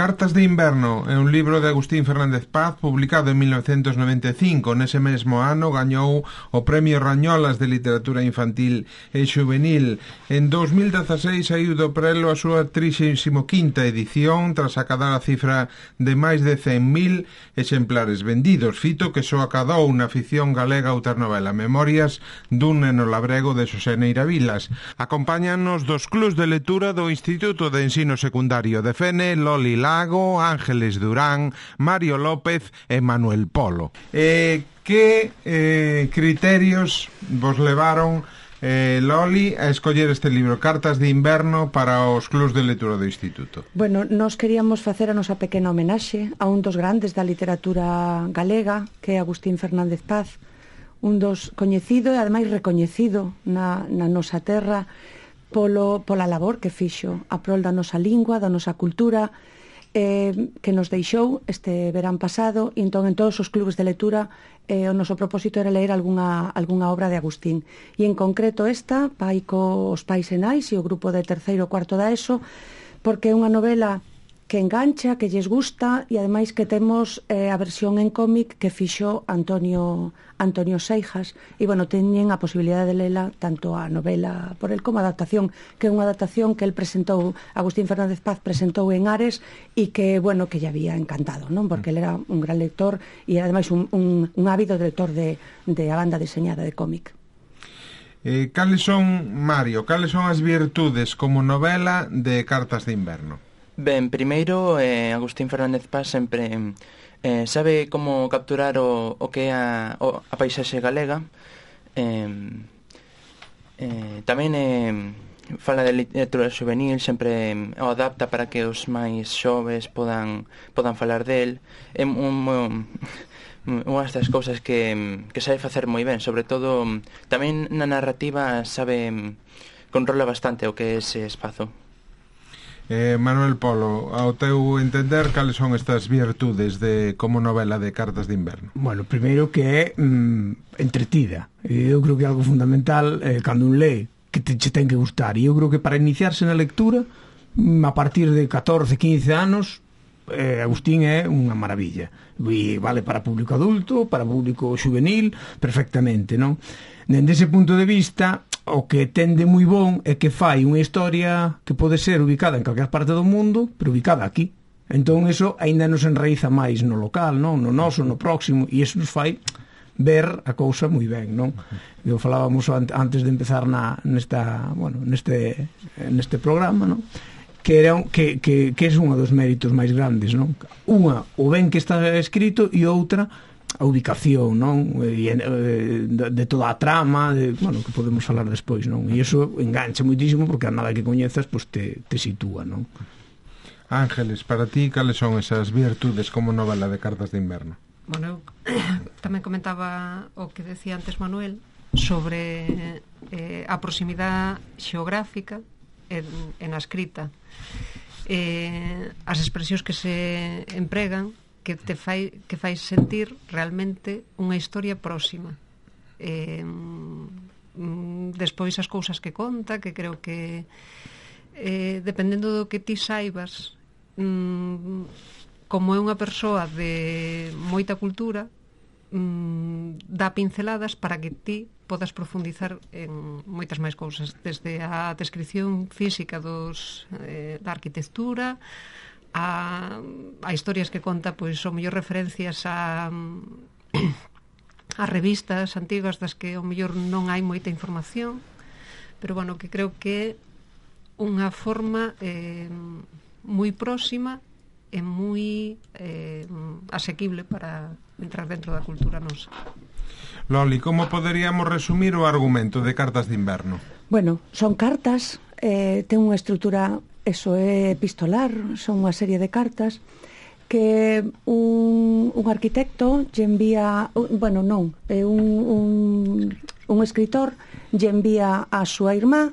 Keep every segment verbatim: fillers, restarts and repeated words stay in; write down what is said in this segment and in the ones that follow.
Cartas de inverno é un libro de Agustín Fernández Paz publicado en mil novecientos noventa e cinco. Nese mesmo ano gañou o Premio Rañolas de Literatura Infantil e Xuvenil. En dous mil dezaseis saiu do prelo a súa trixésima quinta edición tras acadar a cifra de máis de cen mil exemplares vendidos, fito que só acadou na ficción galega outra novela, Memorias dun neno labrego de Xosé Neira Vilas. Acompáñanos dos clubs de lectura do Instituto de Ensino Secundario de Fene, Loli Lago, Ángeles Durán, Mario López e Manuel Polo. Eh, que eh, criterios vos levaron, eh, Loli, a escoller este libro, Cartas de inverno, para os clubs de lectura do Instituto? Bueno, nós queríamos facer a nosa pequena homenaxe a un dos grandes da literatura galega, que é Agustín Fernández Paz, un dos coñecido e ademais recoñecido na, na nosa terra polo, pola labor que fixo a prol da nosa lingua, da nosa cultura, eh, que nos deixou este verán pasado, e entón en todos os clubes de lectura eh, o noso propósito era ler algunha, algunha obra de Agustín, e en concreto esta, Pai cos pais e nais e o grupo de terceiro e cuarto da ESO, porque é unha novela que engancha, que lles gusta, e ademais que temos eh, a versión en cómic que fixo Antonio Antonio Seijas, e bueno, teñen a posibilidade de lela tanto a novela por el como a adaptación, que é unha adaptación que el presentou, Agustín Fernández Paz presentou en Ares, e que, bueno, que lle había encantado, non? Porque ele era un gran lector e ademais un, un, un ávido lector de, de a banda deseñada de cómic. Eh, cales son, Mario, cales son as virtudes como novela de Cartas de inverno? Ben, primeiro, eh, Agustín Fernández Paz sempre eh, sabe como capturar o, o que é a, o, a paisaxe galega. Eh, eh, tamén eh, fala de literatura juvenil, sempre eh, o adapta para que os máis xoves podan, podan falar del. É un, un, unha destas cousas que, que sabe facer moi ben, sobre todo tamén na narrativa sabe controla bastante o que é ese espazo. Eh, Manuel Polo, ao teu entender, cales son estas virtudes de como novela de Cartas de inverno? Bueno, primeiro que é mm, entretida. Eu creo que é algo fundamental eh, cando un lee, que te, te ten que gustar. E eu creo que para iniciarse na lectura, mm, a partir de catorce, quince anos, eh, Agustín é unha maravilla. E vale para público adulto, para público juvenil, perfectamente, non? Dende ese punto de vista, o que ten de moi bon é que fai unha historia que pode ser ubicada en calquer parte do mundo, pero ubicada aquí. Entón, eso aínda nos enraiza máis no local, non? No noso, no próximo, e eso nos fai ver a cousa moi ben, non? Eu falábamos antes de empezar na, nesta, bueno, neste, neste programa, non? Que, era, que, que, que é un dos méritos máis grandes, non? Unha, o ben que está escrito, e outra, a ubicación, non? E, de, de toda a trama, de, bueno, que podemos falar despois, non? E iso engancha moitísimo porque a nada que coñezas, pois te, te sitúa, non? Ángeles, para ti, cales son esas virtudes como novela de Cartas de inverno? Bueno, eu tamén comentaba o que decía antes Manuel sobre eh, a proximidade xeográfica en, en a escrita, eh, as expresións que se empregan que te fai, que fai sentir realmente unha historia próxima. Eh, despois as cousas que conta, que creo que eh, dependendo do que ti saibas, mm, como é unha persoa de moita cultura, mm, dá pinceladas para que ti podas profundizar en moitas máis cousas, desde a descripción física dos, eh, da arquitectura, a, a historias que conta, pois, o mellor referencias a a revistas antigas das que o mellor non hai moita información, pero bueno, que creo que é unha forma eh, moi próxima e moi eh, asequible para entrar dentro da cultura nosa. Loli, como poderíamos resumir o argumento de Cartas de inverno? Bueno, son cartas, eh, ten unha estrutura, eso é epistolar, son unha serie de cartas que un, un arquitecto lle envía, bueno, non, é un, un, un escritor lle envía a súa irmá,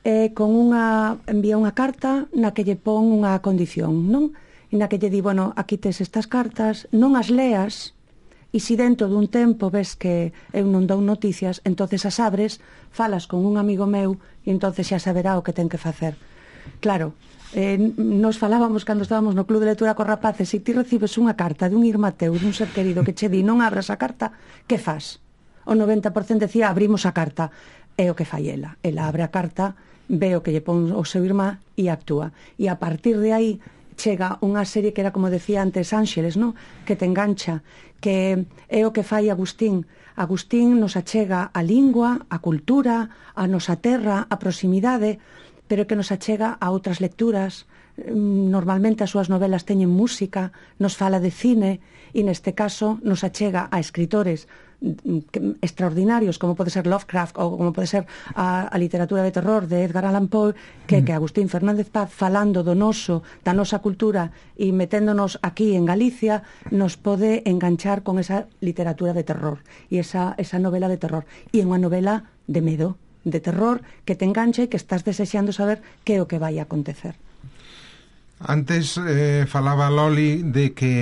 eh, con unha, envía unha carta na que lle pon unha condición, non? E na que lle di, bueno, aquí tes estas cartas, non as leas, e se dentro dun tempo ves que eu non dou noticias, entonces as abres, falas con un amigo meu e entonces xa saberá o que ten que facer. Claro, eh, nos falábamos cando estábamos no Club de Lectura cos rapaces, se ti recibes unha carta dun irmán teu, dun ser querido que che di non abras a carta, que faz? O noventa por cento decía abrimos a carta. É o que fai ela. Ela abre a carta, ve o que lle pon o seu irmán e actúa. E a partir de aí chega unha serie que era, como decía antes Ángeles, no? Que te engancha, que é o que fai Agustín. Agustín nos achega a lingua, a cultura, a nosa terra, a proximidade, pero que nos achega a outras lecturas. Normalmente as súas novelas teñen música, nos fala de cine e neste caso nos achega a escritores extraordinarios como pode ser Lovecraft ou como pode ser a, a literatura de terror de Edgar Allan Poe que, que Agustín Fernández Paz falando do noso, da nosa cultura e meténdonos aquí en Galicia nos pode enganchar con esa literatura de terror e esa, esa novela de terror e é unha novela de medo, de terror que te engancha e que estás desexando saber que é o que vai a acontecer. Antes eh, falaba Loli de que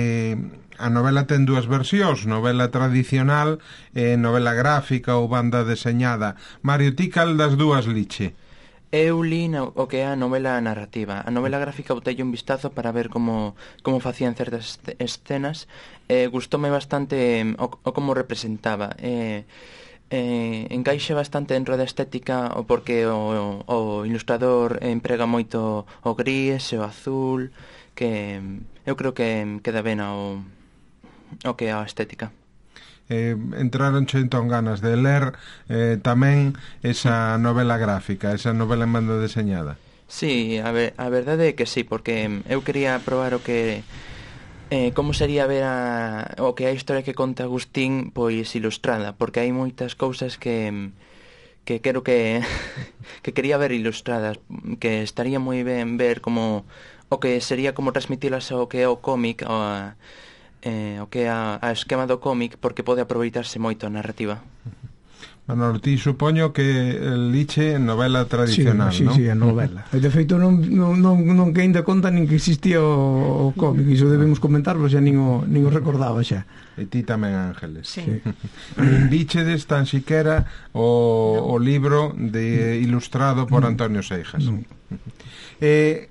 a novela ten dúas versións, novela tradicional e novela gráfica ou banda deseñada. Mario, ti cal das dúas liche? Eu li o que é a novela narrativa. A novela gráfica botei un vistazo para ver como, como facían certas escenas. Eh, gustoume bastante o, o como representaba. Eh, eh, encaixe bastante dentro da estética o porque o, o, o ilustrador emprega moito o gris e o azul, que eu creo que queda ben ao o que é a estética. Eh, entraronche entón ganas de ler eh, tamén esa novela gráfica, esa novela en banda deseñada? Sí, a, ver, a verdade é que sí, porque eu quería probar o que eh, como sería ver a, o que é a historia que conta Agustín pois ilustrada, porque hai moitas cousas que que quero que que quería ver ilustradas, que estaría moi ben ver como o que sería como transmitilas ao que é o cómic o a Eh, o que é a, a esquema do cómic porque pode aproveitarse moito a narrativa. Manolo, ti supoño que liche novela tradicional, sí, non? Sí, sí, a novela. De feito non, non, non, non que ainda conta nin que existía o, o cómic, iso debemos comentarlo, xa nin o, nin o recordaba xa. E ti tamén, Ángeles. Sí. Sí. Nin bichedes tan siquera o, no. o libro de ilustrado por no. Antonio Seijas. No. Eh,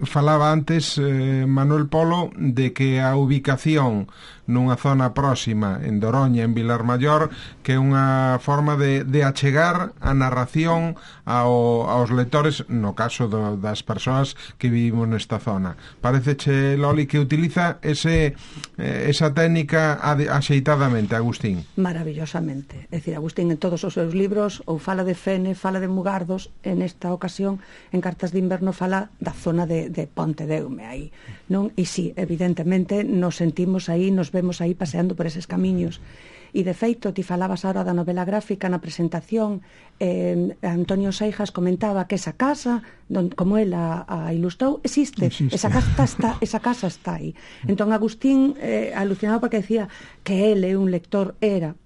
falaba antes eh, Manuel Polo de que a ubicación nunha zona próxima en Doroña, en Vilar Maior, que é unha forma de, de achegar a narración ao, aos lectores, no caso do, das persoas que vivimos nesta zona. Pareceche, Loli, que utiliza ese, eh, esa técnica axeitadamente, Agustín? Maravillosamente. É dicir, Agustín en todos os seus libros ou fala de Fene, fala de Mugardos, en esta ocasión, en Cartas de Inverno, fala da zona de, de Pontedeume aí, non? E sí, evidentemente nos sentimos aí, nos vemos aí paseando por eses camiños. E de feito, ti falabas ahora da novela gráfica na presentación, eh, Antonio Seijas comentaba que esa casa, don, como el a, a ilustrou, existe, existe. Esa, casa está, esa casa está aí. Entón Agustín eh, alucinaba porque decía que él é un lector, era,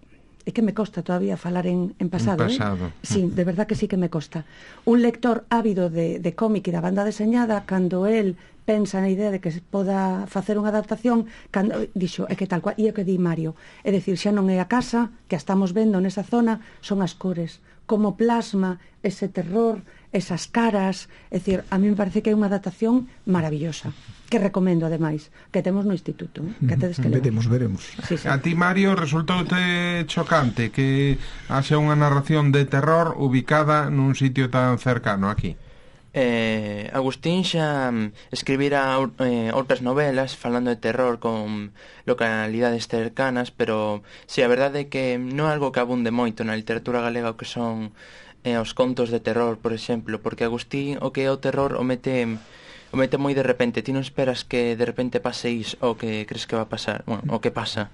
e que me costa todavía falar en, en pasado, en pasado. Eh? Sí, de verdad que sí que me costa. Un lector ávido de, de cómic e da banda deseñada, cando él pensa na idea de que se poda facer unha adaptación, cando dixo, é que tal cual, e é o que di Mario, é dicir, xa non é a casa que a estamos vendo nesa zona, son as cores, como plasma ese terror, esas caras, é dicir, a mí me parece que é unha adaptación maravillosa, que recomendo ademais, que temos no instituto, ¿eh? Que tedes que veremos, veremos. Sí, sí. A ti, Mario, resultoute chocante que haxa unha narración de terror ubicada nun sitio tan cercano aquí? Eh, Agustín xa escribira eh, outras novelas falando de terror con localidades cercanas, pero si, sí, a verdade é que non é algo que abunde moito na literatura galega o que son eh, os contos de terror, por exemplo, porque Agustín o que é o terror o mete o mete moi de repente, ti non esperas que de repente pase iso o que crees que va a pasar, bueno, o que pasa.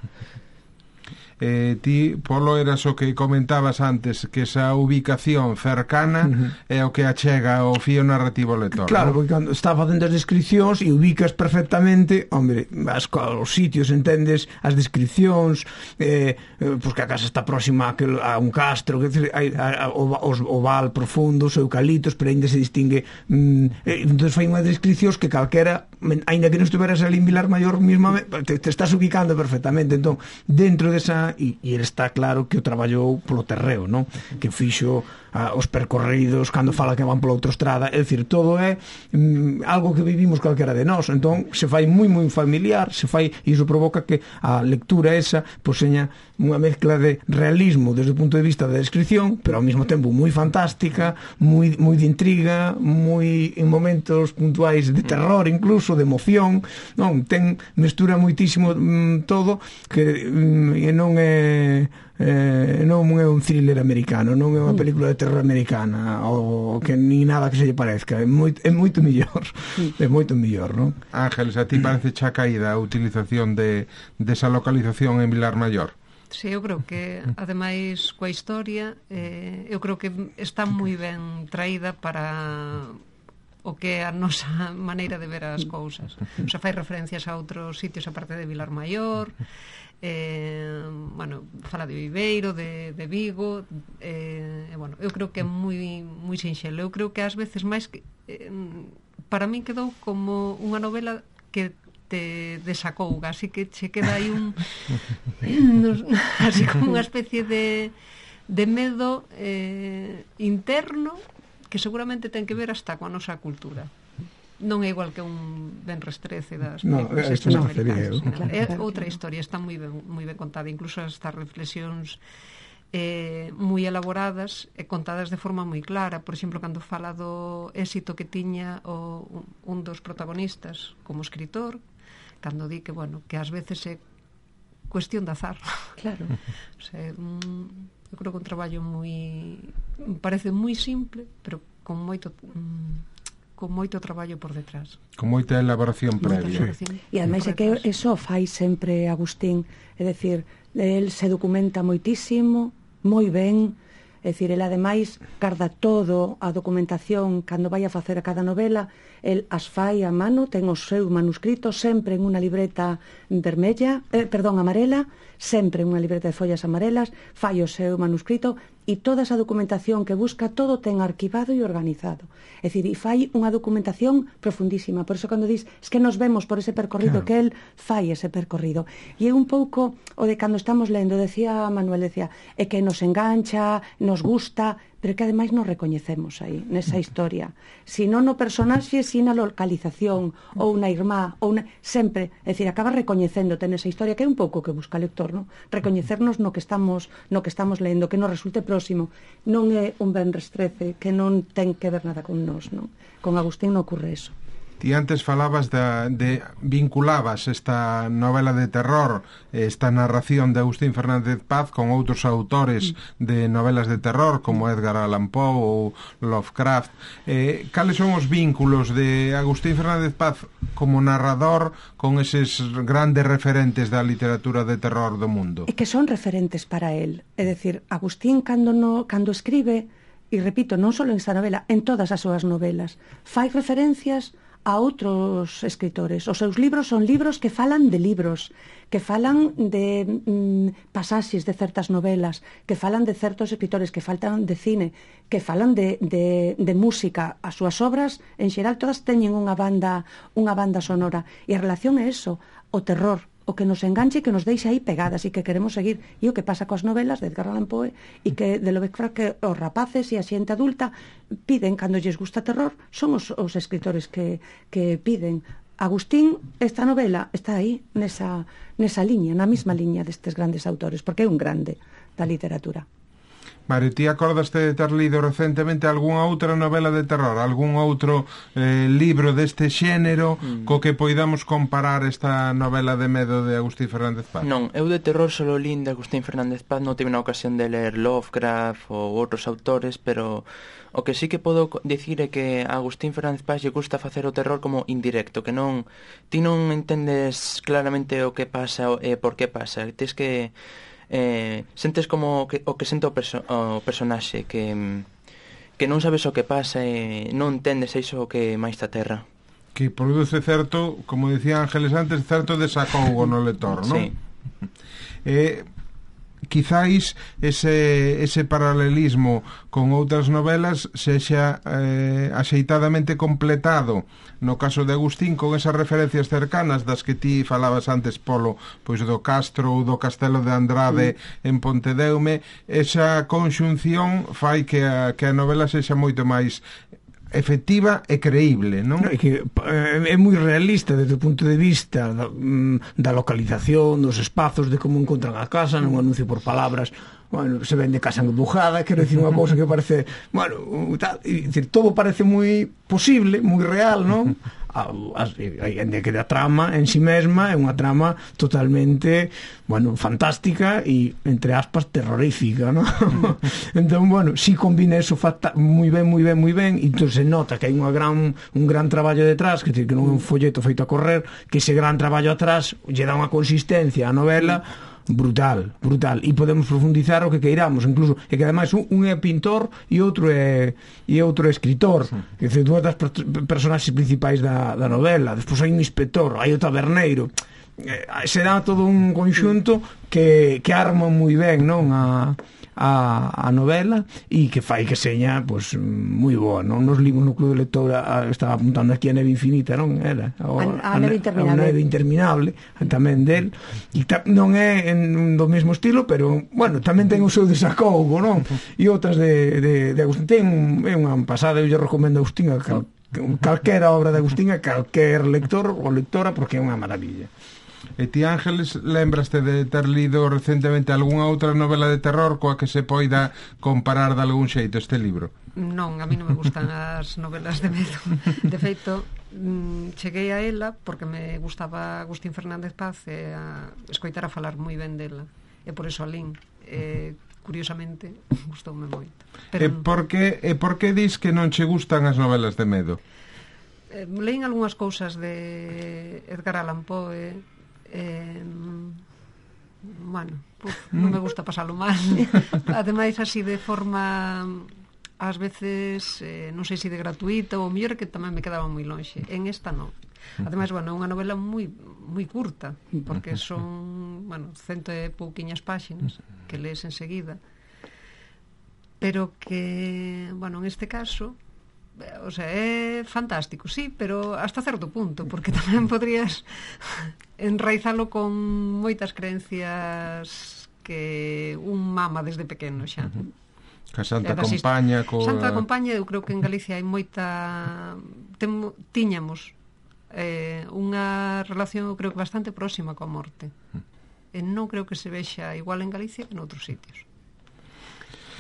Eh, ti, Polo, eras o que comentabas antes, que esa ubicación cercana uh-huh. é o que achega o fío narrativo lector. Claro, ¿no? porque cando está facendo as descripcións e ubicas perfectamente, hombre, as, os sitios, entendes, as descripcións, eh, eh, pues que a casa está próxima a, que, a un castro, que hai, a, a, o, o val profundo, os eucaliptos, pero ainda se distingue. Mm, eh, entón fai unha descripcións que calquera, ainda que non estuveras ali en Vilar Maior misma, te, te estás ubicando perfectamente. Entón, dentro desa, e, e ele está claro que o traballou polo terreo, non? Que fixo a, os percorridos, cando fala que van pola autoestrada, é dicir, todo é mm, algo que vivimos calquera de nós, entón se fai moi moi familiar, se fai, e iso provoca que a lectura esa pois seña unha mezcla de realismo desde o punto de vista da descripción, pero ao mesmo tempo moi fantástica, moi, moi de intriga, moi en momentos puntuais de terror, incluso de emoción, non, ten mestura moitísimo mm, todo, que mm, non é eh, non é un thriller americano, non é unha película de terror americana ou que ni nada que se lle parezca, é moito, é moito mellor, é moito mellor, non? Ángeles, a ti parece xa caída a utilización de desa de localización en Vilar Maior? Sí, eu creo que, ademais, coa historia, eh, eu creo que está moi ben traída para o que é a nosa maneira de ver as cousas. O sea, fai referencias a outros sitios aparte de Vilar Maior, eh, bueno, fala de Viveiro, de, de Vigo, eh, e, bueno, eu creo que é moi, moi sinxelo. Eu creo que ás veces máis que, eh, para min quedou como unha novela que te desacouga, así que che queda aí un así como unha especie de de medo eh, interno que seguramente ten que ver hasta coa nosa cultura. Non é igual que un Benres trece das películas no, estas no, americanas, no, no, é outra historia, está moi ben, moi ben contada, incluso estas reflexións eh, moi elaboradas e contadas de forma moi clara. Por exemplo, cando fala do éxito que tiña o, un dos protagonistas como escritor, cando di que, bueno, que ás veces é cuestión de azar. Claro. O sea, un, eu creo que un traballo moi, parece moi simple, pero con moito con moito traballo por detrás. Con moita elaboración previa. E ademais é que eso fai sempre Agustín, é dicir, el se documenta moitísimo, moi ben, é dicir, el ademais garda todo a documentación cando vai a facer a cada novela, el as fai a mano, ten os seus manuscritos sempre en unha libreta vermella, eh, perdón, amarela, sempre en unha libreta de follas amarelas, fai o seu manuscrito e toda esa documentación que busca todo ten arquivado e organizado. É dicir, e fai unha documentación profundísima. Por eso cando dis, es que nos vemos por ese percorrido, claro, que el fai ese percorrido. E é un pouco o de cando estamos lendo, decía Manuel, decía, é que nos engancha, nos gusta, pero que ademais nos recoñecemos aí, nesa historia. Si non no personaxe, si na localización, ou na irmá, ou na... sempre, é dicir, acaba recoñecéndote nesa historia, que é un pouco que busca o lector, non? Recoñecernos no que estamos no que estamos lendo, que nos resulte próximo. Non é un Benres trece, que non ten que ver nada con nós, non? Con Agustín non ocurre eso. Ti antes falabas de, de vinculabas esta novela de terror, esta narración de Agustín Fernández Paz con outros autores de novelas de terror como Edgar Allan Poe ou Lovecraft. Eh, cales son os vínculos de Agustín Fernández Paz como narrador con eses grandes referentes da literatura de terror do mundo? É que son referentes para él. É dicir, Agustín cando, no, cando escribe, e repito, non só en esta novela, en todas as súas novelas, fai referencias a outros escritores. Os seus libros son libros que falan de libros, que falan de mm, pasaxes de certas novelas, que falan de certos escritores, que falan de cine, que falan de, de, de música. As súas obras, en xeral, todas teñen unha banda, unha banda sonora. E a relación é eso, o terror, o que nos enganche e que nos deixa aí pegadas e que queremos seguir. E o que pasa coas novelas de Edgar Allan Poe e que de Lovecraft, que os rapaces e a xente adulta piden cando lles gusta terror, son os, os escritores que, que piden. Agustín, esta novela está aí nesa, nesa liña, na mesma liña destes grandes autores, porque é un grande da literatura. Mare, ti acordaste de ter lido recentemente algunha outra novela de terror, algún outro eh, libro deste xénero mm. co que poidamos comparar esta novela de medo de Agustín Fernández Paz? Non, eu de terror solo lín de Agustín Fernández Paz, non tive na ocasión de ler Lovecraft ou outros autores, pero o que sí que podo dicir é que a Agustín Fernández Paz lle gusta facer o terror como indirecto, que non ti non entendes claramente o que pasa e por que pasa, tes que eh, sentes como que, o que sente o, perso o personaxe, que, que non sabes o que pasa e non entendes iso que máis ta terra. Que produce certo, como dicía Ángeles antes, certo desacougo no lector, non? Sí. Eh, quizáis ese, ese paralelismo con outras novelas sexa eh, axeitadamente completado no caso de Agustín con esas referencias cercanas das que ti falabas antes, Polo, pois do Castro ou do Castelo de Andrade mm. en Pontedeume. Esa conxunción fai que a, que a novela sexa moito máis efectiva e creíble, non? No, é que é moi realista desde o punto de vista da, da localización, dos espazos, de como encontran a casa, non anuncio por palabras, bueno, se vende casa embujada, quero dicir unha cousa que parece, bueno, tal, e, dicir, todo parece moi posible, moi real, non? Ainda que a trama en si mesma é unha trama totalmente, bueno, fantástica e, entre aspas, terrorífica, ¿no? Entón, bueno, si combina eso moi ben, moi ben, moi ben, e entón se nota que hai unha gran, un gran traballo detrás, que, que non é un folleto feito a correr, que ese gran traballo atrás lle dá unha consistencia á novela brutal, brutal, e podemos profundizar o que queiramos, incluso, e que ademais un, un é pintor e outro é e outro é escritor, sí. Que é dúas das per personaxes principais da, da novela. Despois hai un inspector, hai o taberneiro, eh, se dá todo un conxunto que, que arma moi ben, non, a a, a novela e que fai que seña pois moi boa, non? Nos libros no Club de Lectura estaba apuntando aquí a Neve Infinita, non? Era o, a, a, Neve Interminable, a Neve Interminable tamén del, e ta, non é en, do mesmo estilo, pero bueno, tamén ten o seu desacougo, non? E outras de, de, de Agustín, ten é unha pasada, eu lle recomendo a Agustín a cal, calquera obra de Agustín a calquer lector ou lectora, porque é unha maravilla. E ti, Ángeles, lembraste de ter lido recentemente algunha outra novela de terror coa que se poida comparar de algún xeito este libro? Non, a mí non me gustan as novelas de medo. De feito, cheguei a ela porque me gustaba Agustín Fernández Paz e a escoitar a falar moi ben dela. E por eso a lín. E, curiosamente, gustoume moito. Pero e por que, e por que dis que non che gustan as novelas de medo? Eh, leín algunhas cousas de Edgar Allan Poe. Eh, bueno, puf, non me gusta pasalo mal. Ademais, así de forma ás veces, eh, non sei se de gratuita ou mellor que tamén me quedaba moi lonxe. En esta non. Ademais, bueno, é unha novela moi moi curta, porque son, bueno, cento e pouquiñas páxinas que lees enseguida, pero que, bueno, en este caso, o sea, é fantástico, sí, pero hasta certo punto, porque tamén podrías enraizalo con moitas creencias que un mama desde pequeno xa. A Santa Compaña co... Santa Compaña, eu creo que en Galicia hai moita Temo... tiñamos eh, unha relación, eu creo que bastante próxima coa morte, e non creo que se vexa igual en Galicia que en outros sitios.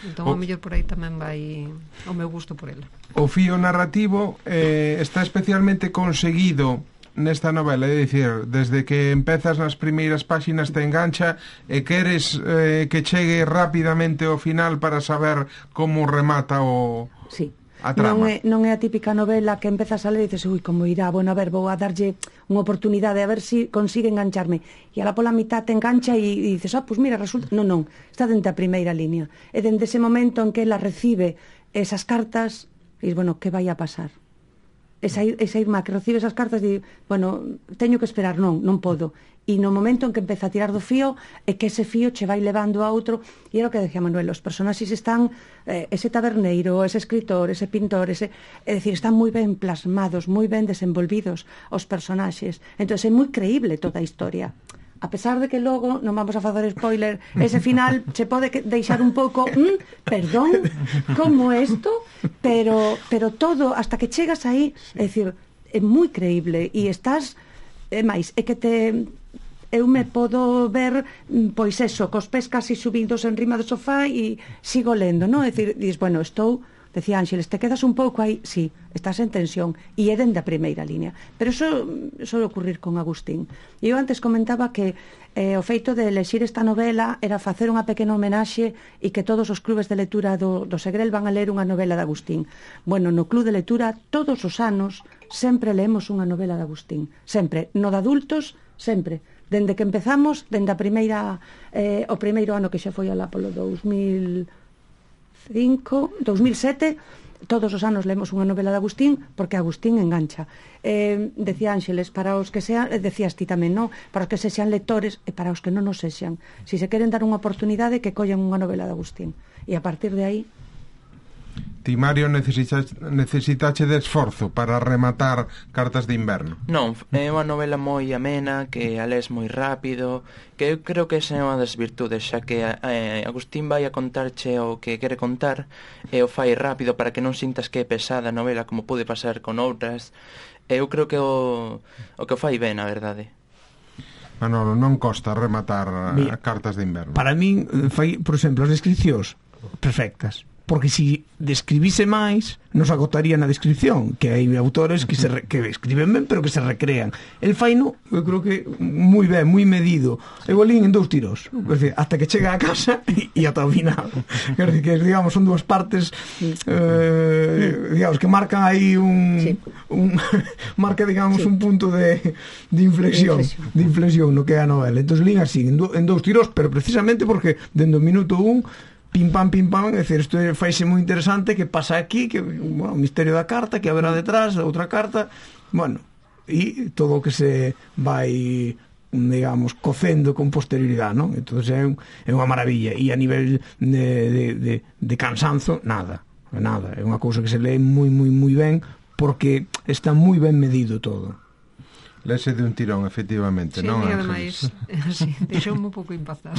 Entón, o mellor por aí tamén vai o meu gusto por ela. O fío narrativo eh, está especialmente conseguido nesta novela, é dicir, desde que empezas nas primeiras páxinas te engancha e queres eh, que chegue rapidamente ao final para saber como remata o... Sí. A trama. Non é, non é a típica novela que empezas a ler e dices, ui, como irá, bueno, a ver, vou a darlle unha oportunidade a ver se si consigue engancharme, e a la pola mitad te engancha e, e dices, ah, oh, pues mira, resulta, non, non, está dentro a primeira línea, e dende ese momento en que ela recibe esas cartas, e dices, bueno, que vai a pasar? Esa, esa irmá que recibe esas cartas e di, bueno, teño que esperar, non, non podo, e no momento en que empeza a tirar do fío é que ese fío che vai levando a outro, e era o que decía Manuel, os personaxes están eh, ese taberneiro, ese escritor, ese pintor, ese, é dicir, están moi ben plasmados, moi ben desenvolvidos os personaxes, entón é moi creíble toda a historia, a pesar de que logo, non vamos a facer spoiler, ese final se pode deixar un pouco mm, perdón, como isto, pero, pero todo, hasta que chegas aí, é dicir, é moi creíble, e estás, é máis, é que te... eu me podo ver, pois eso, cos pés casi subidos en rima do sofá e sigo lendo, non? É dicir, dices, bueno, estou, decía Ángeles, te quedas un pouco aí, sí, estás en tensión, e é dende a primeira línea. Pero eso suele ocurrir con Agustín. E eu antes comentaba que eh, o feito de elexir esta novela era facer unha pequena homenaxe e que todos os clubes de lectura do, do Segrel van a ler unha novela de Agustín. Bueno, no club de lectura todos os anos sempre leemos unha novela de Agustín. Sempre. No de adultos, sempre. Dende que empezamos, dende a primeira eh, o primeiro ano que xa foi alá polo dous mil cinco, dous mil sete, todos os anos lemos unha novela de Agustín porque Agustín engancha. Eh, decía Ángeles, para os que sean, eh, decías ti tamén, non? Para os que se sean lectores e para os que non nos sexan. Si se queren dar unha oportunidade, que collan unha novela de Agustín. E a partir de aí... Ti, Mario, necesitache, necesitache de esforzo para rematar Cartas de Inverno? Non, é unha novela moi amena, que a lees moi rápido, que eu creo que esa é unha das virtudes, xa que eh, Agustín vai a contarche o que quere contar e o fai rápido para que non sintas que é pesada a novela como pode pasar con outras. Eu creo que o, o que o fai ben, a verdade. Manolo, non costa rematar Mira, Cartas de Inverno? Para min, fai, por exemplo, as descripcións perfectas, porque si describise máis nos agotaría na descripción, que hai autores que se re, que escriben ben pero que se recrean. El faino, eu creo que moi ben, moi medido. Eu olín en dous tiros, decir, hasta que chega a casa e, e ata o final. Quer dizer, que digamos son dúas partes eh, digamos que marcan aí un, sí. un marca digamos sí. un punto de, de inflexión, de inflexión, de inflexión no que é a novela. Entón lín así en, do, en dous tiros, pero precisamente porque dende o minuto un pim pam, pim pam, é dicir, isto faise moi interesante, que pasa aquí, que, bueno, o misterio da carta, que haberá detrás, outra carta, bueno, e todo o que se vai, digamos, cocendo con posterioridade, non? Entón é, un, é unha maravilla, e a nivel de, de, de, de cansanzo, nada, nada, é unha cousa que se lee moi, moi, moi ben, porque está moi ben medido todo. Lese de un tirón, efectivamente, sí, non? Sí, ademais, sí, deixoume un pouco impactada.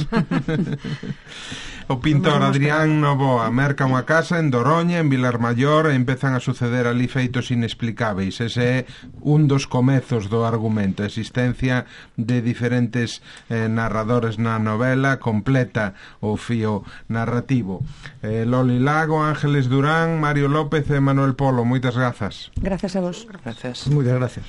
O pintor Adrián Novoa merca unha casa en Doroña, en Vilar Maior, e empezan a suceder ali feitos inexplicáveis. Ese é un dos comezos do argumento, a existencia de diferentes eh, narradores na novela, completa o fío narrativo. Eh, Loli Lago, Ángeles Durán, Mario López e Manuel Polo, moitas grazas. Grazas a vos. Gracias. Moitas gracias.